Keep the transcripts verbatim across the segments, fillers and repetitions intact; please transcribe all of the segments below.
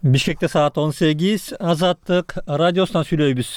Бишкекте саат он сегиз, Азаттык радиосунан сүйлөйбүз.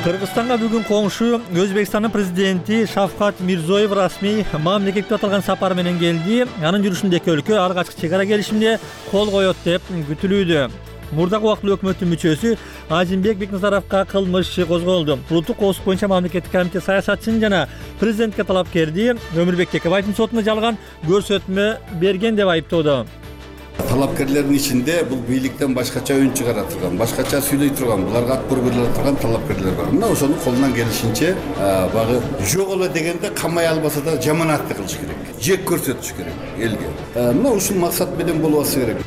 Кыргызстанга бүгүн коңшу Өзбекстандын президенти Шавкат Мирзиёев расмий мамлекетке аталган сапар менен келди. Анын жүрүшүндө эки өлкө алгачкы чек ара келишимине кол коет деп күтүлүүдө. Мурдагы убактылуу өкмөттүн мүчөсү Азимбек Бекназаровго кылмыш иши козголду. Улуттук коопсуздук боюнча мамлекеттик комитет саясатчысын жана президентке талапкерди Өмүрбек Текебаевдин сотуна жалган көрсөтмө берген деп айыптоодо. Талапкерлердин ичинде бул бийликтен башкача үн чыгара турган, башкача сүйлөй турган, буларга ат бере турган талапкерлер бар. Мына ошону колунан келишинче багы жок эле дегенде камай албаса да жаманатты кылыш керек, жек көрсөтүш керек элге. Мына ушул максат менен болуп атса керек.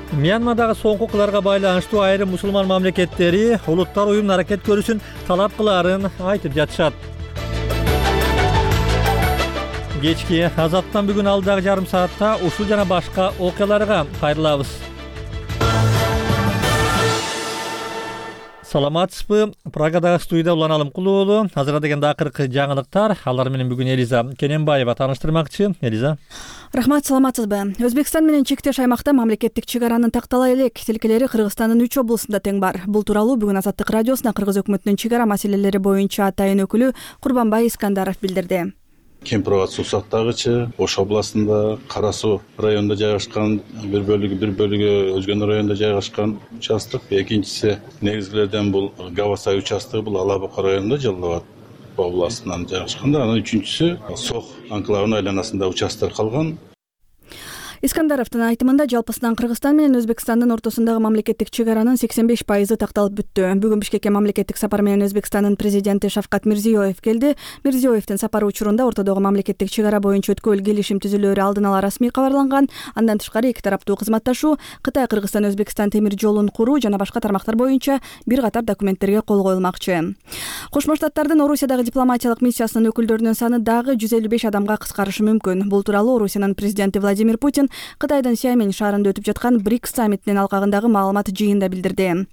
Мьянмадагы соңку окуяларга байланыштуу айрым мусулман мамлекеттери улуттар уюмунун аракет көрүүсүн талап кылаарын айтып жатышат. Кечки Азаттан бүгүн алдагы жарым саатта ушул жана башка окуяларга кайрылабыз. Саламатсызбы? Прагадагы студияда Улан Алымкулуу уулу. Азыркы дегенде акыркы жаңылыктар. Алар менен бүгүн Элиза Кененбаева тааныштырмакчы. Элиза. Рахмат, саламатсызбы? Өзбекстан менен чектеш аймакта мамлекеттик чек аранын тактала элек тилкелери Кыргызстандын үч облусунда тең бар. Бул тууралуу бүгүн Азаттык радиосуна Кыргыз өкмөтүнүн чек ара маселелери боюнча атайын өкүлү Курбанбай Искандаров билдирди. Кемпирабад суу сактагычы Ош областында Кара Суу районунда жайгашкан, бир бөлүгү бир бөлүгү Өзгөн районунда жайгашкан участок. Экинчиси негизгилерден бул Гавасай участогу, бул Ала Бука районунда Жалал Абад областынан жайгашкан. Анан үчүнчүсү Сох анклавынын айланасында участок калган. Искандаровдун айтымында жалпысынан Кыргызстан менен Өзбекстандын ортосундагы мамлекеттик чек аранын сексен беш пайызы такталып бүттү. Бүгүн Бишкекке мамлекеттик сапар менен Өзбекстандын президенти Шавкат Мирзиёев келди. Мирзиёевдин сапары учурунда ортодогу мамлекеттик чек ара боюнча өткөбөл келишим түзүлөөрү алдын ала расмий кабарланган. Андан тышкары эки тараптуу кызматташуу, Кытай Кыргызстан Өзбекстан темир жолун куруу жана башка тармактар боюнча бир катар документтерге кол коюлмакчы. Кошмо Штаттардын Орусиядагы дипломатиялык миссиясынын өкүлдөрүнүн саны дагы жүз элүү беш адамга кыскарышы мүмкүн. Бул тууралуу Орусиянын президенти Владимир Путин Кытайдын Сиамень шаарында өтүп жаткан БРИКС саммитинин алкагындагы маалымат жыйынында билдирди.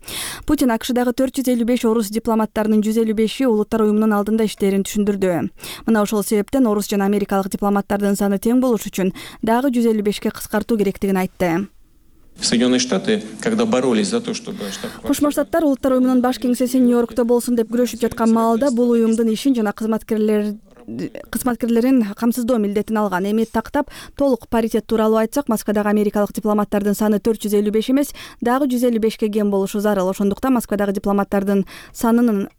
Путин АКШдагы төрт жүз элүү беш орус дипломаттарынын жүз элүү беши улуттар уюмунун алдында иштерин түшүндүрдү. Мына ошол себептен орус жана америкалык дипломаттардын саны тең болуш үчүн дагы жүз элүү бешке кыскартуу керектигин айтты. Соединенные Штаты, когда боролись за то, чтобы Кошмо Штаттар улуттар уюмунун баш кеңсеси Нью-Йоркто болсун деп күрөшүп жаткан маалда бул уюмдун ишин жана кызматкерлер кызматкерлерин камсыздоо милдетин алган. Эми тактап толук паритет тууралуу айтсак, Москвадагы америкалык дипломаттардын саны төрт жүз элүү беш эмес, дагы жүз элүү бешке кем болушу зарыл. Ошондуктан Москвадагы дипломаттардын санынын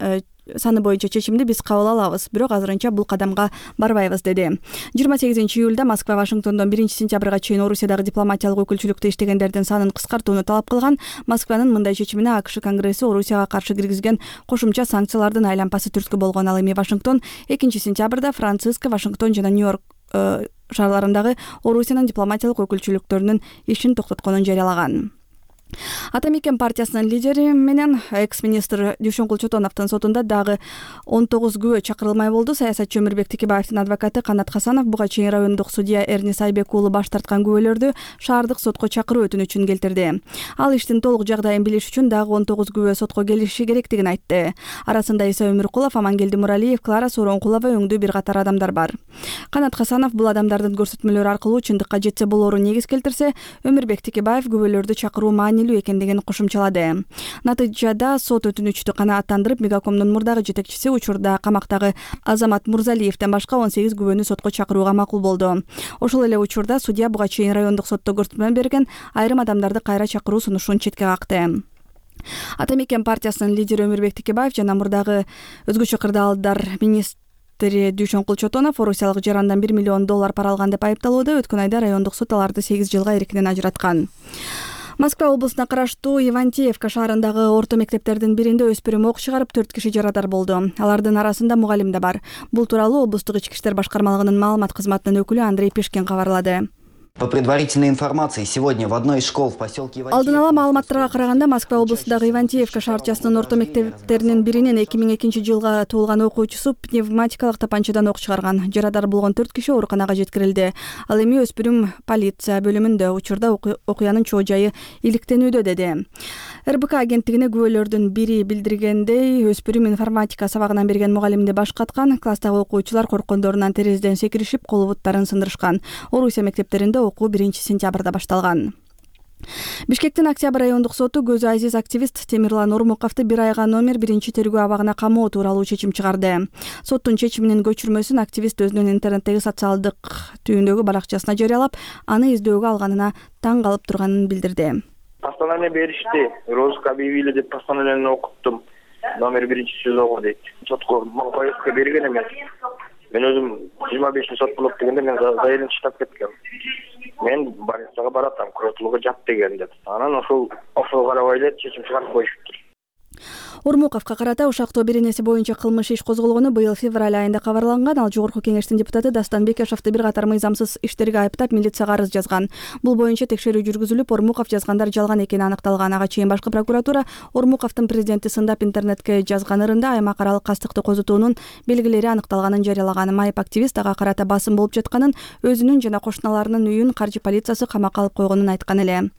саны боюнча чечимди биз кабыл алабыз, бирок азырынча бул кадамга барбайбыз, деди. жыйырма сегизинчи июлда Москва Вашингтондон биринчи сентябрга чейин Орусиядагы дипломатиялык өкүлчүлүктө иштегендердин санын кыскартууну талап кылган. Москванын мындай чечимине АКШ Конгресси Орусияга каршы киргизген кошумча санкциялардын айлампасы түрткү болгон. Ал эми Вашингтон экинчи сентябрда Франциско, Вашингтон жана Нью-Йорк шаарларындагы Орусиянын дипломатиялык өкүлчүлүктөрүнүн ишин токтотконун жарыялаган. Ата Мекен партиясынын лидери менен экс-министр Дүйшөнкул Чотоновдун сотунда дагы он тогуз күбө чакырылмай болду. Саясатчы Өмүрбек Текебаевдин адвокаты Канат Хасанов буга чейин райондук судья Эрнис Айбек уулу баш тарткан күбөлөрдү шаардык сотко чакыруу өтүнүчүн келтирди. Ал иштин толук жагдайын билиш үчүн дагы он тогуз күбө сотко келиши керектигин айтты. Арасында Иса Өмүркулов, Амангелди Муралиев, Клара Сооронкулова өңдүү бир катар адамдар бар. Канат Хасанов бул адамдардын көрсөтмөлөрү аркылуу чындыкка жетсе болоорун негиз келтирсе, Өмүрбек Текебаев күбөлөрдү чакыруу маанилүү экендигин кошумчалады. Натыйжада сот өтүнүчтү канааттандырып, Мегакомдун мурдагы жетекчиси учурда камактагы Азамат Мурзалиевден башка он сегиз күбөнү сотко чакырууга макул болду. Ошол эле учурда судья буга чейин райондук сотто көрсөтмө берген айрым адамдарды кайра чакыруу сунушун четке какты. Ата Мекен партиясынын лидери Өмүрбек Текебаев жана мурдагы өзгөчө кырдаалдар министри Дүйшөнкул Чотонов Орусиялык жарандан бир миллион доллар пара алган деп айыпталууда. Өткөн айда райондук сот аларды сегиз жылга эркинен ажыраткан. Москва облусуна караштуу Ивантеевка шаарындагы орто мектептердин биринде өспүрүм ок чыгарып төрт киши жарадар болду. Алардын арасында мугалим да бар. Бул тууралуу облустук ички иштер башкармалыгынын маалымат кызматынын өкүлү Андрей Пешкин кабарлады. По предварительной информации, сегодня в одной из школ в поселке Ивантеевка... Алдын ала маалыматтарга караганда Москва облусундагы Ивантеевка шаарчасынын орто мектептеринин биринен эки миң экинчи жылга туулган окуучусу пневматикалык тапанчадан ок чыгарган. Жарадар болгон төрт киши ооруканага жеткирилди. Ал эми өспүрүм полиция бөлүмүндө. Учурда окуянын чоо жайы иликтенүүдө, деди. эр бэ ка агенттигине күбөлөрдүн бири билдиргендей, өспүрүм информатика сабагынан берген мугалимди башкаткан. Класстагы окуучулар корккондорунан терезеден секиришип, кол буттарын сындырышкан. Орусия мектептеринде окуу биринчи сентябрда башталган. Бишкектин Октябрь райондук соту көзү азиз активист Темирлан Ормуковду бир айга номер биринчи тергөө абагына камоо тууралуу чечим чыгарды. Соттун чечиминин көчүрмөсүн активист өзүнүн интернеттеги социалдык түйүндөгү баракчасына жарыялап, аны издөөгө алганына таң калып турганын билдирди. Постановление беришти, розыск объявили деп постановлениени окуттум. Номер биринчи СИЗОго дейт. Сотко повестка берген эмес. Мен өзүм жыйырма бешинчи сот болот дегенде мен заявление чыгып кеткем. Мен больницага баратам, куротулууга жат деген деп. Анан ошол ошол карабай эле чечим чыгарып коюшту. Ормуковго карата ушактоо беренеси боюнча кылмыш иш козголгону быйыл февраль айында кабарланган. Ал Жогорку Кеңештин депутаты Дастан Бекешовду бир катар мыйзамсыз иштерге айыптап милицияга арыз жазган. Бул боюнча текшерүү жүргүзүлүп, Ормуков жазгандар жалган экени аныкталган. Ага чейин башкы прокуратура Ормуковдун президентти сындап интернетке жазган ырында аймак аралык кастыкты козутуунун белгилери аныкталганын жарыялаган. Майып активист ага карата басым болуп жатканын, өзүнүн жана кошуналарынын үйүн каржы полициясы камакка алып койгонун айткан эле.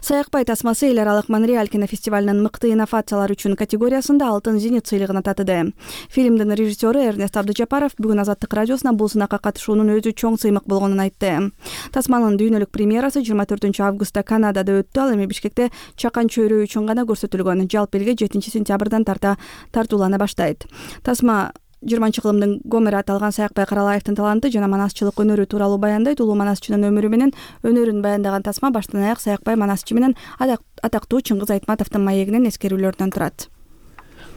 Саякбай тасмасы эл аралык Монреаль кинофестивалынын мыкты инновациялар үчүн категориясында алтын зенит сыйлыгына татыды. Фильмдин режиссеру Эрнест Абдыжапаров бүгүн Азаттык радиосуна бул сынакка катышуунун өзү чоң сыймык болгонун айтты. Тасманын дүйнөлүк премьерасы жыйырма төртүнчү августта Канадада өттү. Ал эми Бишкекте чакан чөйрө үчүн гана көрсөтүлгөн. Жалпы элге жетинчи сентябрдан тарта тартуулана баштайт. Тасма жыйырманчы кылымдын Гомери аталган Саякбай Каралаевдин таланты жана манасчылык өнөрү тууралуу баяндайт. Улуу манасчынын өмүрү менен өнөрүн баяндаган Тасма баштан аяк Саякбай манасчы менен атактуу Чыңгыз Айтматовдун маегинен эскерүүлөрдөн турат.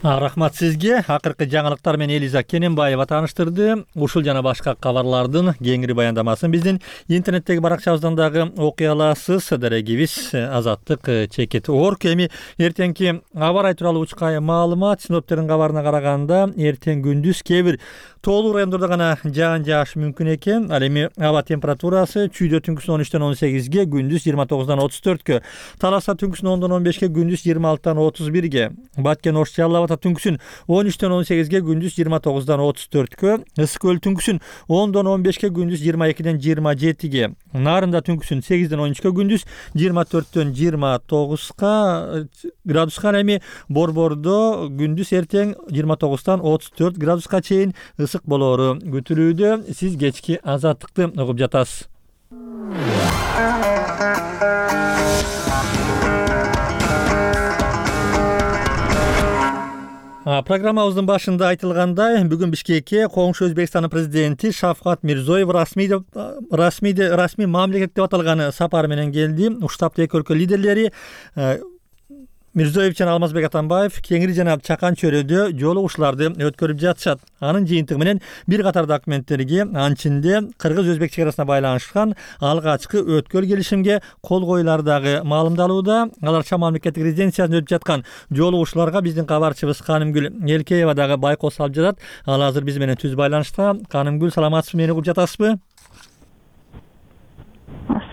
Рахмат сизге. Акыркы жаңылыктар менен Элиза Кененбаева тааныштырды. Ушул жана башка кабарлардын кеңири баяндамасын биздин интернеттеги баракчабыздан дагы окуй аласыз. Дарегибиз Азаттык чекит орг. Эми эртеңки аба ырайы тууралуу учкай маалымат. Синоптиктердин кабарына караганда эртең күндүз кээ бир тоолуу райондордо гана жаан жаашы мүмкүн экен. Ал эми аба температурасы чүйдө түнкүсүн он үчтөн он сегизге, күндүз жыйырма тогуздан отуз төрткө, Таласта түнкүсүн ондон он бешке, күндүз жыйырма алтыдан отуз бирге, Баткен Ош Жалал түнкүсүн он үчтөн он сегизге, күндүз жыйырма тогуздан отуз төрткө, Ысык көл түнкүсүн ондон он бешке, күндүз жыйырма экиден жыйырма жетиге, Нарында түнкүсүн сегизден он үчкө, күндүз жыйырма төрттөн жыйырма тогузга градуска, эми Борбордо күндүз эртең жыйырма тогуздан отуз төрт градуска чейин ысык болоору күтүлүүдө. Сиз кечки Азаттыкты угуп жатасыз. Программабыздын башында айтылгандай, бүгүн Бишкекке коңшу Өзбекстандын президенти Шавкат Мирзоев расмий расмий расмий мамлекет деп аталган сапар менен келди. Уштапты эки өлкө лидерлери Мирзоев жана Алмазбек Атамбаев кеңири жана чакан чөйрөдө жолугушууларды өткөрүп жатышат. Анын жыйынтыгы менен бир катар документтерге, анчинде кыргыз-өзбек чек арасына байланышкан алгачкы өткөл келишимге кол коюлары дагы маалымдалууда. Алар Шам мамлекеттик резиденциясында өтүп жаткан жолугушууларга биздин кабарчыбыз Канымгүл Элкеева дагы байкоо салып жатат. Ал азыр биз менен түз байланышта. Канымгүл, саламатсызбы, мени угуп жатасызбы?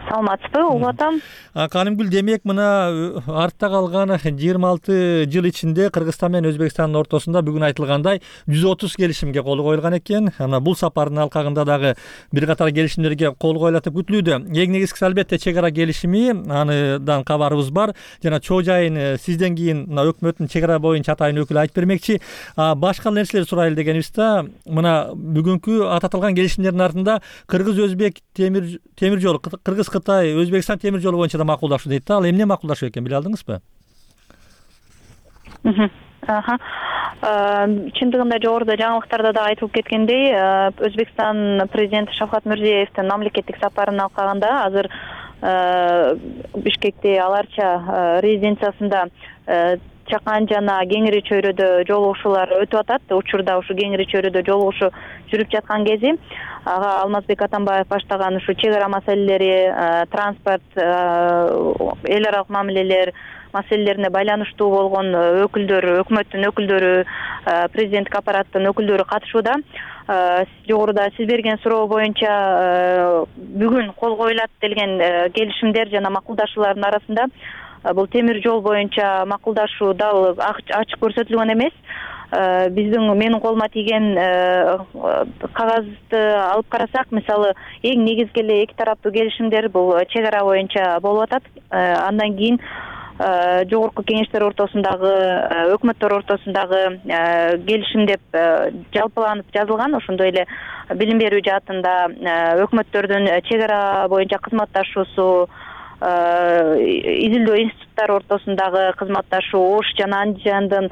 Саламатсызбы, угуп атам. Канымгүл, демек мына артта калган жыйырма алты жыл ичинде Кыргызстан менен Өзбекстандын ортосунда бүгүн айтылгандай жүз отуз келишимге кол коюлган экен. Ана бул сапардын алкагында дагы бир катар келишимдерге кол коюлат деп күтүлүүдө. Эң негизгиси албетте чек ара келишими, аныдан кабарыбыз бар. Жана чоо жайын сизден кийин мына өкмөттүн чек ара боюнча атайын өкүлү айтып бермекчи. Башка нерселер сурайлы дегенибизде, мына бүгүнкү аталган келишимдердин артында Кыргыз-Өзбек темир темир жолу, Кыргыз-Кытай, Өзбекстан темир жолу боюнча да макулдашуу дейт да. Ал эмне макулдашуу экен, биле алдыңызбы? Аха. Чындыгында жогоруда жаңылыктарда да айтылып кеткендей, Өзбекстан президенти Шавкат Мирзиевдин мамлекеттик сапарынын алкагында азыр Бишкекте аларча резиденциясында чакан жана кеңири чөйрөдө жолугушуулар өтүп атат. Учурда ушу кеңири чөйрөдө жолугушуу жүрүп жаткан кези ага Алмазбек Атамбаев баштаган ушу чек ара маселелери, транспорт, эл аралык мамилелер, маселелерине байланыштуу болгон өкүлдөр, өкмөттүн өкүлдөрү, президенттик аппараттын өкүлдөрү катышууда. Жогоруда сиз берген суроо боюнча бүгүн кол коюлат делген келишимдер жана макулдашуулардын арасында бул темир жол боюнча макулдашуу дал ачык көрсөтүлгөн эмес. Биздин менин колума тийген кагазды алып карасак, мисалы, эң негизги эле эки тараптуу келишимдер бул чек ара боюнча болуп атат. Андан кийин жогорку кеңештер ортосундагы, өкмөттөр ортосундагы келишим деп жалпыланып жазылган. Ошондой эле билим берүү жаатында өкмөттөрдүн чек ара боюнча кызматташуусу, изилдөө институттары ортосундагы кызматташуу, Ош жана Андижандын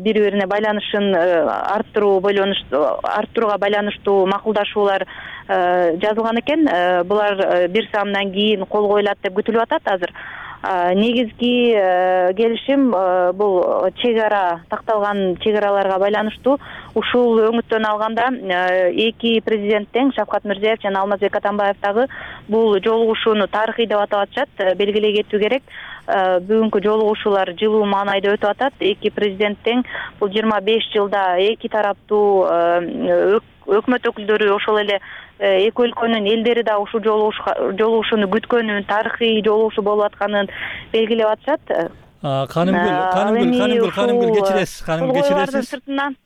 бири бирине байланышын арттыруу, арттырууга байланыштуу макулдашуулар жазылган экен. Булар бир саамдан кийин кол коюлат деп күтүлүп атат азыр. Негизги келишим бул чек ара, такталган чек араларга байланыштуу. Ушул өңүттөн алганда эки президент тең, Шавкат Мирзиёев жана Алмазбек Атамбаев дагы бул жолугушууну тарыхый деп атап атышат. Белгилей кетүү керек. Бүгүнкү жолугушуулар жылуу маанайда өтүп атат. Эки президент тең бул жыйырма беш жылда эки тараптуу өкмөт өкүлдөрү, ошол эле эки өлкөнүн элдери да ушул жолугушууну күткөнүн, тарыхый жолугушуу болуп атканын белгилеп атышат. Канымгүл, Канымгүл, Канымгүл, Канымгүл кечиресиз, Каным кечиресиз.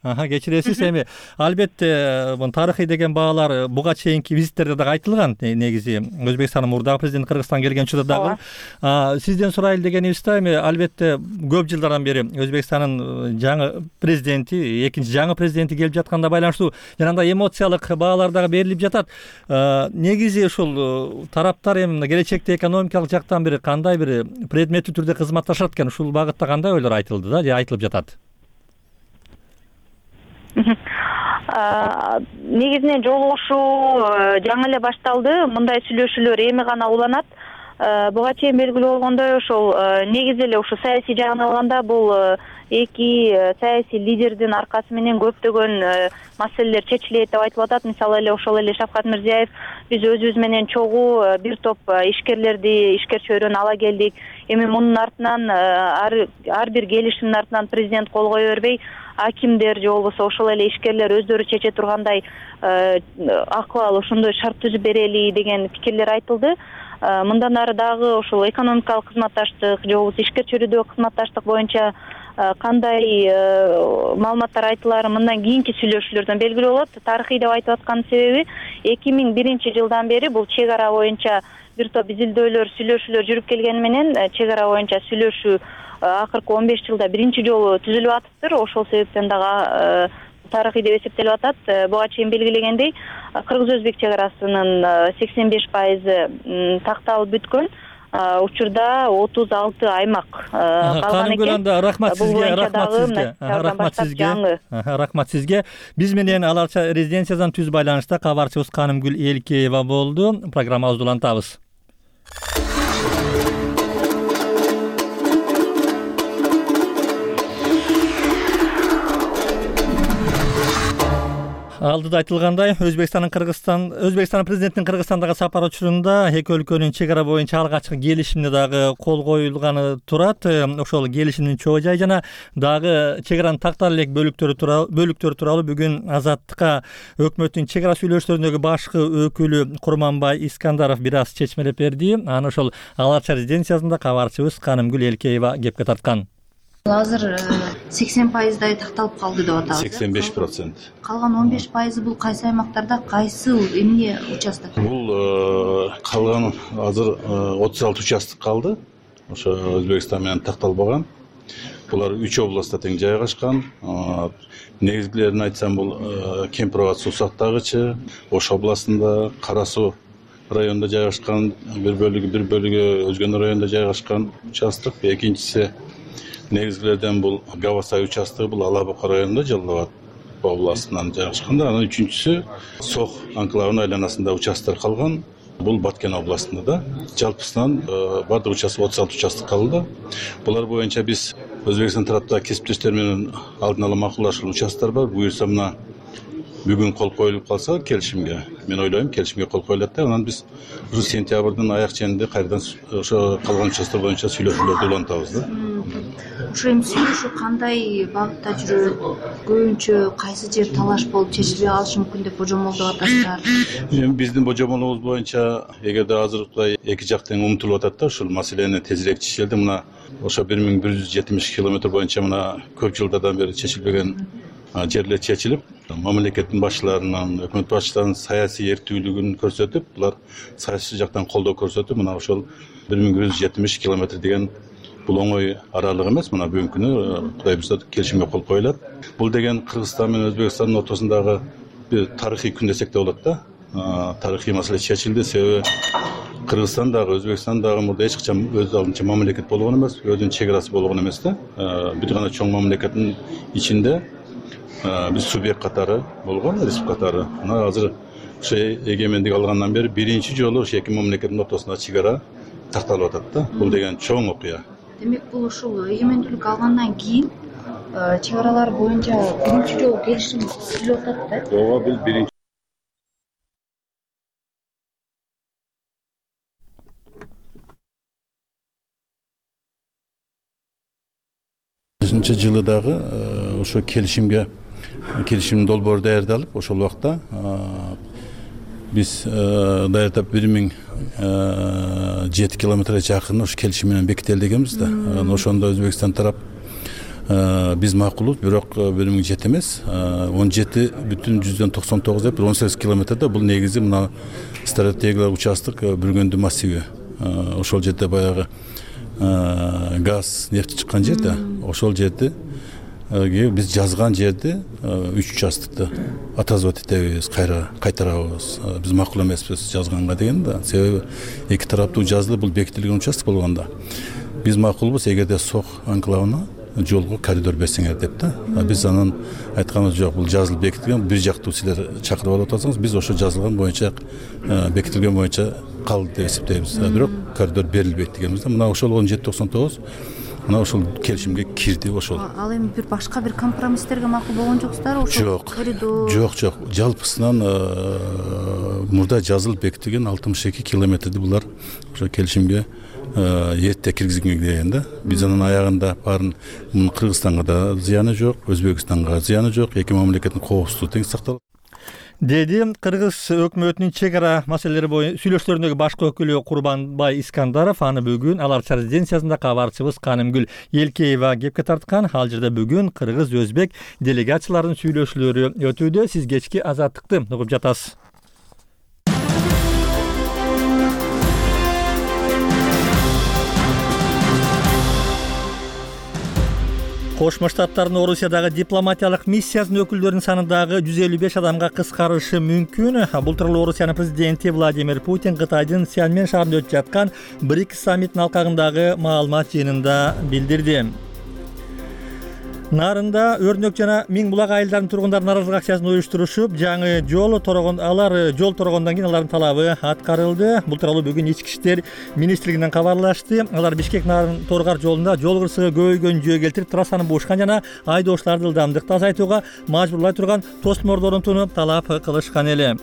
Аха, кечиресиз. Эми албетте бул тарыхый деген баалар буга чейинки визиттерде дагы айтылган. Негизи Өзбекстандын мурдагы президенти Кыргызстанга келген учурда дагы. Сизден сурайлы дегенибизде, эми албетте көп жылдардан бери Өзбекстандын жаңы президенти, экинчи жаңы президенти келип жатканда байланыштуу жанагындай эмоциялык баалар дагы берилип жатат. Негизи ушул тараптар эми келечекте экономикалык жактан бир кандай бир предметтүү түрдө кызматташат, ушул багытта кандай ойлор айтылды да, же айтылып жатат? Негизинен жолугушуу жаңы эле башталды. Мындай сүйлөшүүлөр эми гана уланат. Буга чейин белгилүү болгондой, ошол негизи эле ушу саясий жагын алганда бул эки саясий лидердин аркасы менен көптөгөн маселелер чечилет деп айтылып атат. Мисалы эле ошол эле Шавкат Мирзиёев биз өзүбүз менен чогуу бир топ ишкерлерди, ишкер чөйрөнү ала келдик. Эми мунун артынан ар бир келишимдин артынан президент кол кое бербей, акимдер же болбосо ошол эле ишкерлер өздөрү чече тургандай акыбал ошондой шарт түзүп берели деген пикирлер айтылды. Мындан ары дагы ошол экономикалык кызматташтык же болбосо ишкер чөйрөдөгү кызматташтык боюнча кандай маалыматтар айтылары мындан кийинки сүйлөшүүлөрдөн белгилүү болот. Тарыхый деп айтып аткан себеби эки миң биринчи жылдан бери бул чек ара боюнча бир топ изилдөөлөр, сүйлөшүүлөр жүрүп келгени менен чек ара боюнча сүйлөшүү акыркы он беш жылда биринчи жолу түзүлүп атыптыр. Ошол себептен дагы тарыхый деп эсептелип атат. Буга чейин белгилегендей, кыргыз-өзбек чек арасынын сексен беш пайызы такталып бүткөн. Учурда отуз алты аймак калган экен. Рахмат сизге, рахмат сизге. Рахмат сизге. Рахмат сизге. Биз менен Аларча резиденциядан түз байланышта кабарчыбыз Канымгүл Элкеева болду. Программабызды улантабыз. Алдыда айтылгандай, Өзбекстандын Кыргызстан, Өзбекстандын президентинин Кыргызстандагы сапары учурунда эки өлкөнүн чек ара боюнча алгачкы келишимине дагы кол коюлганы турат. Ошол келишимдин чоо жайы жана дагы чек аранын тактала элек бөлүктөрү тууралуу бөлүктөрү тууралуу бүгүн Азаттыкка өкмөттүн чек ара сүйлөшүүлөрүндөгү башкы өкүлү Курманбай Искандаров бир аз чечмелеп берди. Аны ошол Аларча резиденциясында кабарчыбыз Канымгүл Элкеева кепке тарткан. Азыр сексен пайыздай такталып калды деп атабыз. сексен беш процент. Калган он беш пайызы бул кайсы аймактарда, кайсы эмне участок? Бул калган азыр отуз алты участок калды. Ошо Өзбекстан менен такталбаган. Булар үч областта тең жайгашкан. Негизгилерин айтсам, бул Кемпирабад суу сактагычы, Ош областында, Кара Суу районунда жайгашкан, бир бөлүгү бир бөлүгү Өзгөн районунда жайгашкан участок. Экинчиси негизгилерден бул Гавасай участогу, бул Ала Бука районунда, Жалал Абад областынан жайгашкан. Анан үчүнчүсү Сох анклавынын айланасында участок калган. Бул Баткен областында да. Жалпысынан бардык участок отуз алты участок калды. Булар боюнча биз Өзбекстан тарапта кесиптештер менен алдын ала макулдашкан участоктор бар. Буюрса мына бүгүн кол коюлуп калса келишимге, мен ойлойм келишимге кол коюлат да, анан биз ушу сентябрдын аяк ченинде кайрадан ошо калган участоктор боюнча сүйлөшүүлөрдү улантабыз да. Ошо эми сүйлөшүү кандай багытта жүрөт? Көбүнчө кайсы жер талаш болуп чечилбей калышы мүмкүн деп божомолдоп атасыздар? Эми биздин божомолубуз боюнча эгерде азыркы эки жак тең умтулуп атат да, ушул маселени тезирээк чечелди. Мына ошо бир миң бир жүз жетимиш километр боюнча мына көп жылдардан бери чечилбеген жерлер чечилип, мамлекеттин башчыларынан, өкмөт башчыларынын саясий эрктүүлүгүн көрсөтүп, булар саясий жактан колдоо көрсөтүп, мына ошол бир миң бир жүз жетимиш километр деген бул оңой аралык эмес. Мына бүгүнкү күнү Кудай буйрса келишимге кол коюлат. Бул деген Кыргызстан менен Өзбекстандын ортосундагы бир тарыхый күн десек да болот да. Тарыхый маселе чечилди. Себеби Кыргызстан дагы, Өзбекстан дагы мурда эч качан өз алдынча мамлекет болгон эмес, өзүнүн чек арасы болгон эмес да. Бир гана чоң мамлекеттин ичинде биз субъект катары болгон, республика катары. Мына азыр ошо эгемендик алгандан бери биринчи жолу ошо эки мамлекеттин ортосунда чек ара такталып атат да. Бул деген чоң окуя. Демек бул ушул эгемендүүлүк алгандан кийин чек аралар боюнча биринчи жолу келишим түзүлүп атат да. Ооба, бул биринчи жылы дагы ошо келишимге келишимдин долбоору даярдалып, ошол убакта биз даярдап бир миң жети километрге жакын ошо келишим менен бекители дегенбиз да. Ошондо Өзбекстан тарап биз макулбуз, бирок бир миң жети эмес, он жети бүтүн жүздөн токсон тогуз деп он сегиз километрде бул негизи мына стратегиялык участок Бүргөндү массиви. Ошол жерде баягы газ, нефть чыккан жер да. Ошол жерди биз жазган жерди үч участокту атазып этебиз, кайра кайтарабыз. Биз макул эмеспиз жазганга деген да. Себеби эки тараптуу жазылып бул бекитилген участок болгондо биз макулбуз эгерде Сок анклавына жолго коридор берсеңер деп да. Биз анан айтканыбыз жок, бул жазылып бекитилген, бир жактуу силер чакырып алып атасыңыз, биз ошо жазылган боюнча бекитилген боюнча калды деп эсептейбиз. Бирок коридор берилбейт дегенбиз да. Мына ошол он жети токсон тогуз мына ошол келишимге кирди ошол. Ал эми бир башка бир компромисстерге макул болгон жоксуздарбы? Ошол коридор. Жок, жок. Жалпысынан мурда жазылып бекитилген алтымыш эки километрди булар ошо келишимге эрте киргизген деген да. Биз анын аягында баарын Кыргызстанга да зыяны жок, Өзбекстанга зыяны жок, эки мамлекеттин коопсуздугу тең сакталат деди Кыргыз өкмөтүнүн чек ара маселелери боюнча сүйлөшүүлөрүндөгү башкы өкүлү Курбанбай Искандаров. Аны бүгүн алар резиденциясында кабарчыбыз Канымгүл Элкеева кепке тарткан. Ал жерде бүгүн кыргыз-өзбек делегацияларынын сүйлөшүүлөрү өтүүдө. Сиз кечки Азаттыкты угуп жатасыз. Кошмо Штаттардын Орусиядагы дипломатиялык миссиясынын өкүлдөрүнүн саны дагы жүз элүү беш адамга кыскарышы мүмкүн. Бул тууралуу Орусиянын президенти Владимир Путин Кытайдын Сианмен шаарында өтүп жаткан БРИКС саммитинин алкагындагы маалымат жыйынында билдирди. Нарында өрнөк жана Миң булак айылдарынын тургундары нааразылык акциясын уюштурушуп, жаңы жол торогон алар жол торогондон кийин алардын талабы аткарылды. Бул тууралуу бүгүн Ички иштер министрлигинен кабарлашты. Алар Бишкек нарын Торгар жолунда жол кырсыгы көбөйгөнүн жөө келтирип, трассаны бушкан жана айдоочуларды ылдамдыкты азайтууга мажбурлай турган тосморду орнотууну талап кылышкан эле.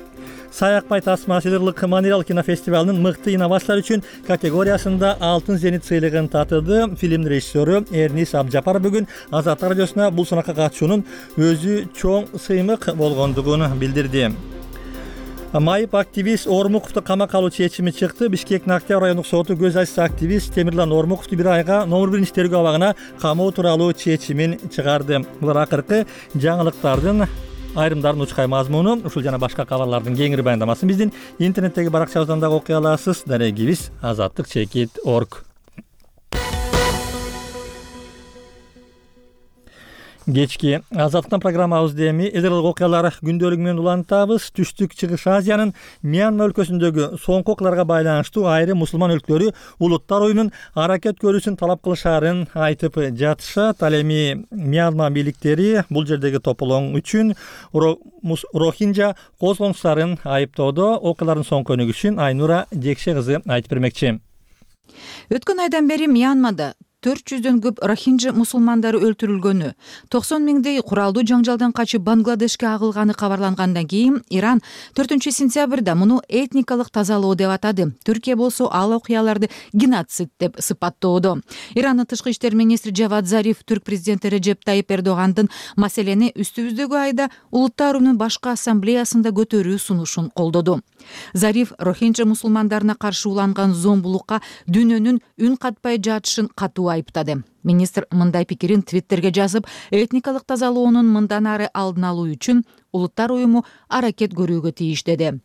Саякбай тасма сыдырлык материал кинофестивалынын мыкты инновациялар үчүн категориясында алтын зенит сыйлыгын татыды. Фильм режиссеру Эрнис Абжапар бүгүн Азат радиосуна бул сынакка катышуунун өзү чоң сыймык болгондугун билдирди. Майып активист Ормуковду камакка алуу чечими чыкты. Бишкектин Октябрь райондук соту көз ачса активист Темирлан Ормуковду бир айга номер биринчи тергөө абагына камоо тууралуу чечимин чыгарды. Булар акыркы жаңылыктардын айрымдарын учкай мазмуну. Ушул жана башка кабарлардын кеңири баяндамасын биздин интернеттеги баракчабыздан дагы окуй аласыз. Дарегибиз азаттык чекит точка орг. Кечки Азаттыктан программабызды эми элдер окуялар күндөлүгү менен улантабыз. Түштүк Чыгыш Азиянын Мьянма өлкөсүндөгү соңку окуяларга байланыштуу айрым мусулман өлкөлөрү улуттар оюнун аракет көрүүсүн талап кылышаарын айтып жатышат. Ал эми Мьянма бийликтери бул жердеги тополоң үчүн Рохинджа козгонуштарын айыптоодо. Окуялардын соңку өнүгүшүн Айнура Жекше кызы айтып бермекчи. Өткөн айдан бери Мьянмада төрт жүздөн көп рохинджа мусулмандары өлтүрүлгөнү, токсон миңдей куралдуу жаңжалдан качып Бангладешке агылганы кабарлангандан кийин Иран төртүнчү сентябрда муну этникалык тазалоо деп атады. Түркия болсо ал окуяларды геноцид деп сыпаттоодо. Ирандын тышкы иштер министри Джавад Зариф түрк президенти Реджеп Тайип Эрдогандын маселени үстүбүздөгү айда Улуттар уюмунун башкы ассамблеясында көтөрүү сунушун колдоду. Зариф рохинджа мусулмандарына каршы уланган зомбулукка дүйнөнүн үн катпай жатышын катуу айыптады. Министр мындай пикирин Твиттерге жазып, этникалык тазалоонун мындан ары алдын алуу үчүн Улуттар уюму аракет көрүүгө тийиш деди.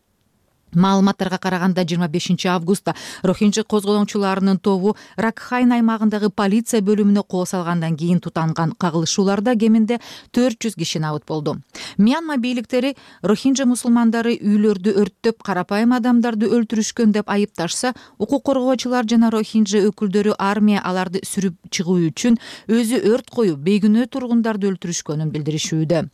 Маалыматтарга караганда жыйырма бешинчи августта рохинджа козголоңчуларынын тобу Ракхайн аймагындагы полиция бөлүмүнө кол салгандан кийин тутанган кагылышууларда кеминде төрт жүз киши набыт болду. Мьянма бийликтери рохинджа мусулмандары үйлөрдү өрттөп, карапайым адамдарды өлтүрүшкөн деп айыпташса, укук коргоочулар жана рохинджа өкүлдөрү армия аларды сүрүп чыгуу үчүн өзү өрт коюп, бейгүнөө тургундарды өлтүрүшкөнүн билдиришүүдө.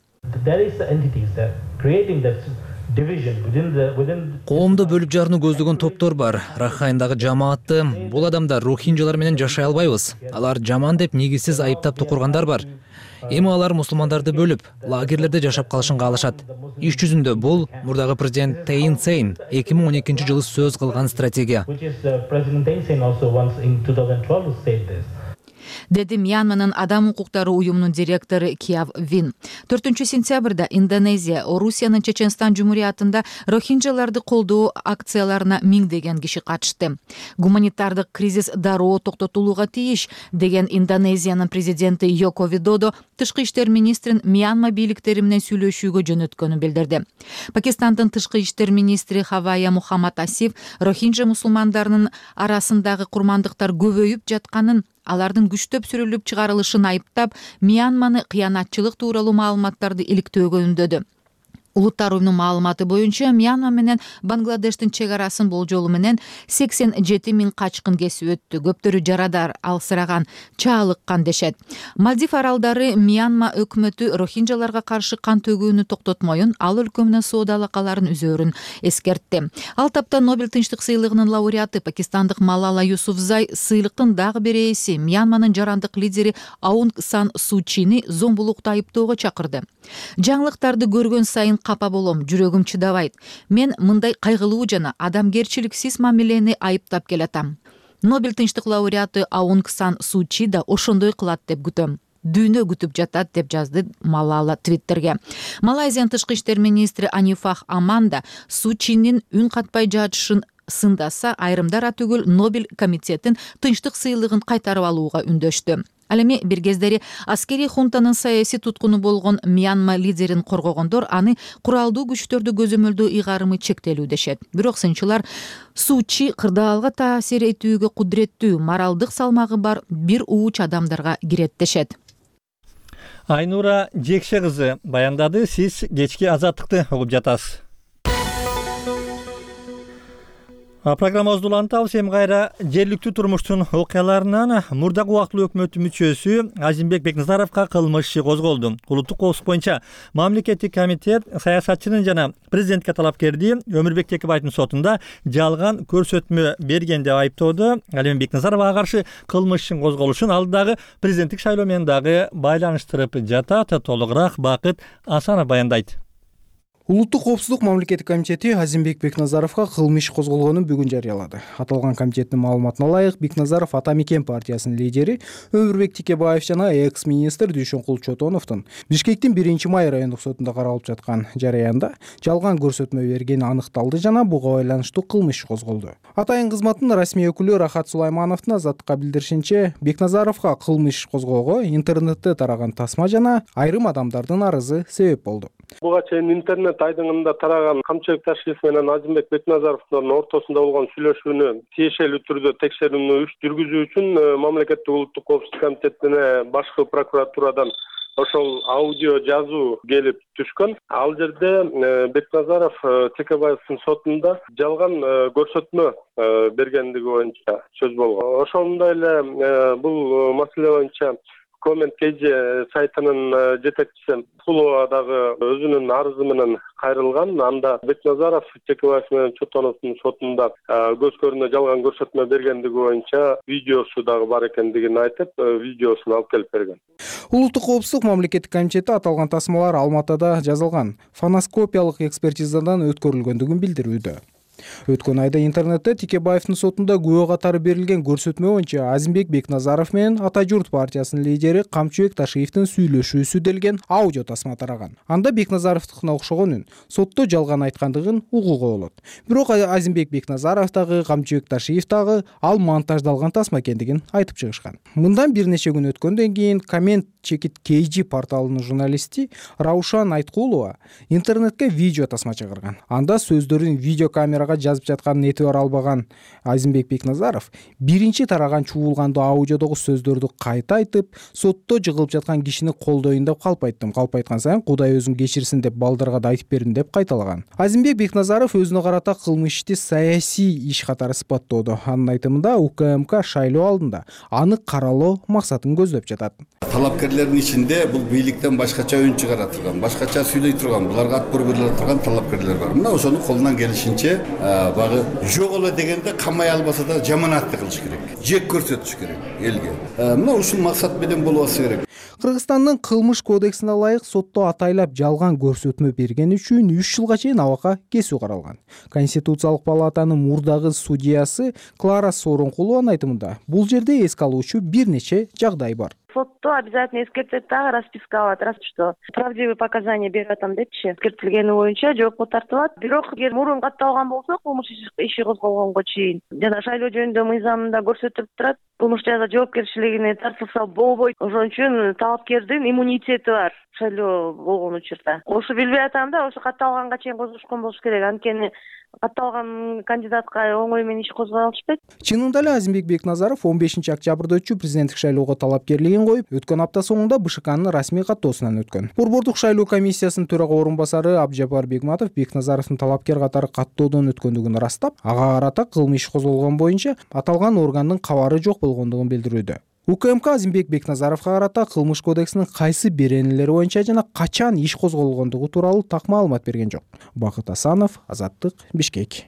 Коомду бөлүп жарууну көздөгөн топтор бар. Рахайндагы жамаатты бул адамдар рохинджалар менен жашай албайбыз. Алар жаман деп негизсиз айыптап тукургандар бар. Эми алар мусулмандарды бөлүп, лагерлерде жашап калышын каалашат. Иш жүзүндө бул мурдагы президент Тейин Сейн эки миң он экинчи жылы сөз кылган стратегия. Деди Мьянманын адам укуктары уюмунун директору Кияв Вин. төртүнчү сентябрда Индонезия, Орусиянын Чеченстан жумуриятында рохинджаларды колдоо акцияларына миңдеген киши катышты. Гуманитардык кризис дароо токтотулууга тийиш деген Индонезиянын президенти Йоко Видодо тышкы иштер министрин Мьянма бийликтери менен сүйлөшүүгө жөнөткөнүн билдирди. Пакистандын тышкы иштер министри Хавая Мухаммад Асиф рохинджа мусулмандарынын арасындагы курмандыктар көбөйүп жатканын, алардын күчтөп сүрүлүп чыгарылышын айыптап, Мьянманы кыянатчылык тууралуу маалыматтарды иликтөөгө үндөдү. Улуттар уюмунун маалыматы боюнча Мьянма менен Бангладештин чек арасын болжолу менен сексен жети миң качкын кесип өттү. Көптөрү жарадар, алсыраган, чаалыккан дешет. Мальдив аралдары Мьянма өкмөтү рохинджаларга каршы кан төгүүнү токтотмоюн, ал өлкө менен соода алакаларын үзөөрүн эскертти. Ал тапта Нобель тынчтык сыйлыгынын лауреаты пакистандык Малала Юсуфзай сыйлыктын дагы бир ээси Мьянманын жарандык лидери Аунг Сан Су Чини зомбулукта айыптоого чакырды. Жаңылыктарды көргөн сайын капа болом, жүрөгүм чыдабайт. Мен мындай кайгылуу жана адамгерчиликсиз мамилени айыптап келатам. Нобель тынчтык лауреаты Аунг Сан Су Чи да ошондой кылат деп күтөм. Дүйнө күтүп жатат деп жазды Малала Твиттерге. Малайзиянын тышкы иштер министри Анифах Аманда Су Чинин үн катпай жатышын сындаса, айрымдар атүгүл Нобель комитетин тынчтык сыйлыгын кайтарып алууга үндөштү. Ал эми бир кездери аскерий хунтанын саясий туткуну болгон Мьянма лидерин коргогондор аны куралдуу күчтөрдү көзөмөлдөө ыйгарымы чектелүү дешет. Бирок сынчылар Су Чи кырдаалга таасир этүүгө кудуреттүү, моралдык салмагы бар бир ууч адамдарга кирет дешет. Айнура Жекше кызы баяндады. Сиз кечки Азаттыкты угуп жатасыз. Программабызды улантабыз. Эми кайра жергиликтүү турмуштун окуяларынан мурдагы убактылуу өкмөт мүчөсү Азимбек Бекназаровго кылмыш иши козголду. Улуттук коопсуздук боюнча мамлекеттик комитет саясатчынын жана президентке талапкерди Өмүрбек Текебаевдин сотунда жалган көрсөтмө берген деп айыптоодо. Ал эми Бекназаровго каршы кылмыш ишин козголушун ал дагы президенттик шайлоо менен дагы байланыштырып жатат. Толугураак Бакыт Асанов баяндайт. Улуттук коопсуздук мамлекеттик комитети Азимбек Бекназаровго кылмыш иш козголгонун бүгүн жарыялады. Аталган комитеттин маалыматына ылайык, Бекназаров Ата Мекен партиясынын лидери Өмүрбек Текебаев жана экс-министр Дүйшөнкул Чотоновдун Бишкектин биринчи май райондук сотунда каралып жаткан жараянда жалган көрсөтмө бергени аныкталды жана буга байланыштуу кылмыш иш козголду. Атайын кызматтын расмий өкүлү Рахат Сулаймановдун Азаттыкка билдиришинче, Бекназаровго кылмыш иш козгоого интернетте тараган тасма жана айрым адамдардын арызы себеп болду. Буга чейин интернет айдыңында тараган Камчыбек Ташиев менен Азимбек Бекназаровдун ортосунда болгон сүйлөшүүнү тиешелүү түрдө текшерүүнү жүргүзүү үчүн мамлекеттик улуттук коопсуздук комитетине башкы прокуратурадан ошол аудио жазуу келип түшкөн. Ал жерде Бекназаров Текебаевдин сотунда жалган көрсөтмө бергендиги боюнча сөз болгон. Ошондой эле бул маселе боюнча Comment Kg сайтынын жетекчиси Пулова дагы өзүнүн арызы менен кайрылган. Анда Бекназаров Чекебаев менен Чотоновдун сотунда көз көрүнө жалган көрсөтмө бергендиги боюнча видеосу дагы бар экендигин айтып, видеосун алып келип берген. Улуттук коопсуздук мамлекеттик комитети аталган тасмалар Алматыда жазылган фоноскопиялык экспертизадан өткөрүлгөндүгүн билдирүүдө. Өткөн айда интернетте Текебаевдин сотунда күбө катары берилген көрсөтмө боюнча Азимбек Бекназаров менен Ата журт партиясынын лидери Камчыбек Ташиевдин сүйлөшүүсү делген аудио тасма тараган. Анда Бекназаровдукуна окшогон үн сотто жалган айткандыгын угууга болот. Бирок Азимбек Бекназаров дагы Камчыбек Ташиев дагы ал монтаждалган тасма экендигин айтып чыгышкан. Мындан бир нече күн өткөндөн кийин Comment Kg порталынын журналисти Раушан Айткулова интернетке видео тасма чыгарган. Анда сөздөрүн видеокамерага жазып жатканын этибар албаган Азимбек Бекназаров биринчи тараган чуулгандуу аудиодогу сөздөрдү кайта айтып, сотто жыгылып жаткан кишини колдойюн деп калп айттым. Калп айткан сайын Кудай өзүн кечирсин деп балдарга да айтып бердим деп кайталаган. Азимбек Бекназаров өзүнө карата кылмыш ишти саясий иш катары сыпаттоодо. Анын айтымында УКМК шайлоо алдында аны каралоо максатын көздөп жатат. Талапкерлердин ичинде бул бийликтен башкача үн чыгара турган, башкача сүйлөй турган, буларга ат буруп бериле турган талапкерлер бар. Мына ошону колунан келишинче багы жок эле дегенде камай албаса да жаманатты кылыш керек. Жек көрсөтүш керек элге. Мына ушул максат менен болбосы керек. Кыргызстандын кылмыш кодексине ылайык сотто атайлап жалган көрсөтмө берген үчүн үч жылга чейин абакка кесүү каралган. Конституциялык палатанын мурдагы судьясы Клара Сооронкулованын айтымында бул жерде эске алуучу бир нече жагдай бар. Сотто обязательно эскертет дагы, расписка алат, раз что правдивый показания берип атам депчи. Эскертилгени боюнча жоопко тартылат. Бирок эгер мурун катталган болсо, кылмыш иши козголгонго чейин жана шайлоо жөнүндө мыйзамында көрсөтүлүп турат. Кылмыш жаза жоопкерчилигине тартылса болбойт. Ошон үчүн талапкердин иммунитети бар шайлоо болгон учурда. Ошо билбей атам да, ошо катталганга чейин козгошкон болуш керек. Анткени катталган кандидатка оңой менен иш козгой алышпайт. Чынында эле Азимбек Бекназаров он бешинчи октябрда өтчү президенттик шайлоого талапкерлигин коюп, өткөн апта соңунда БШКнын расмий каттоосунан өткөн. Борбордук шайлоо комиссиясынын төрага орун басары Абжапар Бегматов Бекназаровдун талапкер катары каттоодон өткөндүгүн ырастап, ага карата кылмыш иш козголгон боюнча аталган органдын кабары жок болгондугун билдирүүдө. УКМК Азимбек Бекназаровго карата кылмыш кодексинин кайсы беренелери боюнча жана качан иш козголгондугу тууралуу так маалымат берген жок. Бакыт Асанов, Азаттык, Бишкек.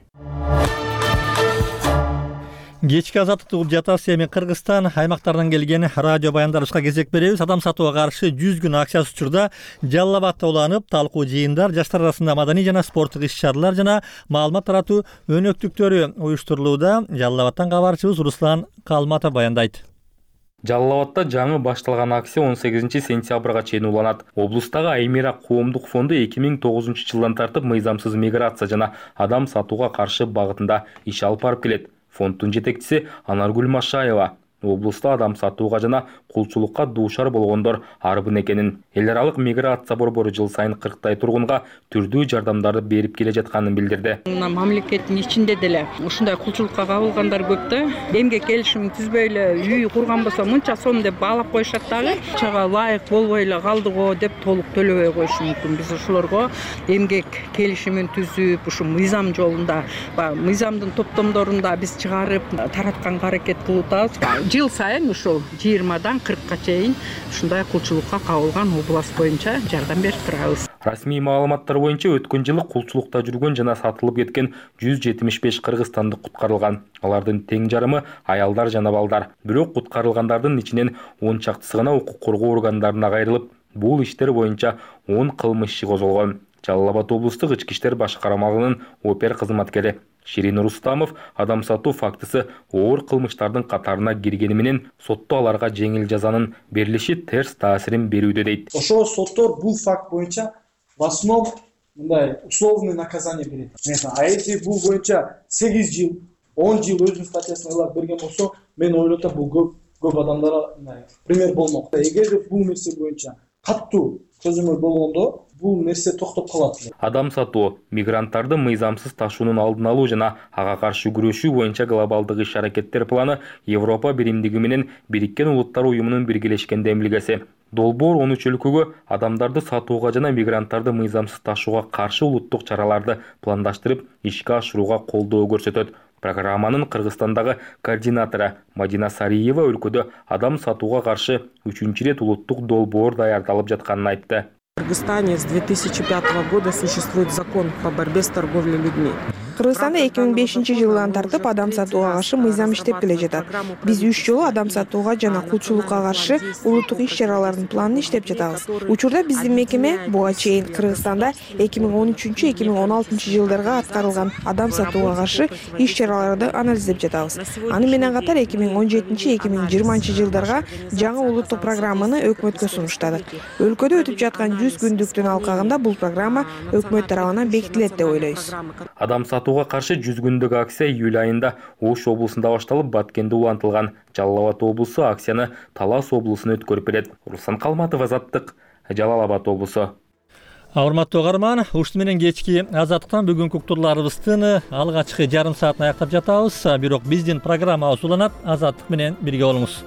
Кечки азаттык жатасы эми Кыргызстан аймактарынан келген радио баяндарыбызга кезек беребиз. Адам сатууга каршы жүз күн акчасы учурда Жалал Абадта уланып, талкуу жыйындар, жаштар арасында маданий жана спорттук иш-чаралар жана маалымат таратуу өнөктүктөрү уюштурулууда. Жалал Абадтан кабарчыбыз Руслан Калматов баяндайт. Жалал Абадта жаңы башталган акция он сегизинчи сентябрга чейин уланат. Облустагы Аймира коомдук фонду эки миң тогузунчу жылдан тартып мыйзамсыз миграция жана адам сатууга каршы багытында иш алып барып келет. Фонддун жетекчиси Анаргүл Машаева облуста адам сатууга жана кулчулукка дуушар болгондор арбын экенин, эл аралык миграция борбору жыл сайын кырктай тургунга түрдүү жардамдарды берип келе жатканын билдирди. Мына мамлекеттин ичинде деле ушундай кулчулукка кабылгандар көп да. Эмгек келишим түзбөй эле үй курган болсо мынча сом деп баалап коюшат дагы. Чага ылайык болбой эле калдыго деп толук төлөбөй коюшу мүмкүн. Биз ошолорго эмгек келишимин түзүп, ушу мыйзам жолунда, мыйзамдын топтомдорунда биз чыгарып таратканга аракет кылып атабыз. Жыл сайын ушул жыйырмадан кыркка чейин ушундай кулчулукка кабылган область боюнча жардам берип турабыз. Расмий маалыматтар боюнча өткөн жылы кулчулукта жүргөн жана сатылып кеткен жүз жетимиш беш кыргызстандык куткарылган. Алардын тең жарымы аялдар жана балдар. Бирок куткарылгандардын ичинен он чактысы гана укук коргоо органдарына кайрылып, бул иштер боюнча он кылмыш иши козголгон. Жалал Абад облустук ички иштер башкармалыгынын опер кызматкери Ширин Рустамов адам сатуу фактысы оор кылмыштардын катарына киргени менен сотто аларга жеңил жазанын берилиши терс таасирин берүүдө дейт. Ошо соттор бул факт боюнча в основном мындай условный наказание берет. А если бул боюнча сегиз жыл, он жыл өзүнүн статьясына ылайык берген болсо, мен ойлотом бул көп көп адамдарга пример болмок. Эгерде бул нерсе боюнча каттуу чөзүмдөр болгондо бул нерсе токтоп калат. Адам сатуу, мигранттарды мыйзамсыз ташуунун алдын алуу жана ага каршы күрөшүү боюнча глобалдык иш-аракеттер планы Европа биримдиги менен Бириккен Улуттар уюмунун биргелешкен демилгеси. Долбоор он үч өлкөгө адамдарды сатууга жана мигранттарды мыйзамсыз ташууга каршы улуттук чараларды пландаштырып ишке ашырууга колдоо көрсөтөт. Программанын Кыргызстандагы координатору Мадина Сариева өлкөдө адам сатууга каршы үчүнчү ирет улуттук долбоор даярдалып жатканын айтты. В Кыргызстане с две тысячи пятого года существует закон по борьбе с торговлей людьми. Кыргызстанда эки миң бешинчи жылдан тартып адам сатууга каршы мыйзам иштеп келе жатат. Биз үч жолу адам сатууга жана кулчулукка каршы улуттук иш-чаралардын планын иштеп жатабыз. Учурда биздин мекеме буга чейин Кыргызстанда эки миң он үчүнчү эки миң он алтынчы жылдарга аткарылган адам сатууга каршы иш-чараларды анализдеп жатабыз. Аны менен катар эки миң он жетинчи эки миң жыйырманчы жылдарга жаңы улуттук программаны өкмөткө сунуштадык. Өлкөдө өтүп жаткан жүз күндүктүн алкагында бул программа өкмөт тарабынан бекитилет деп ойлойбуз. Адам сатууга каршы жүз күндүк акция июль айында Ош облусунда башталып, Баткенде улантылган. Жалал Абад облусу акцияны Талас облусуна өткөрүп берет. Руслан Калматов, Азаттык, Жалал Абад облусу. Урматтуу угарман, ушуну менен кечки Азаттыктан бүгүнкү уктурларыбыздын алгачкы жарым саатын аяктап жатабыз. Бирок биздин программабыз уланат. Азаттык менен бирге болуңуз.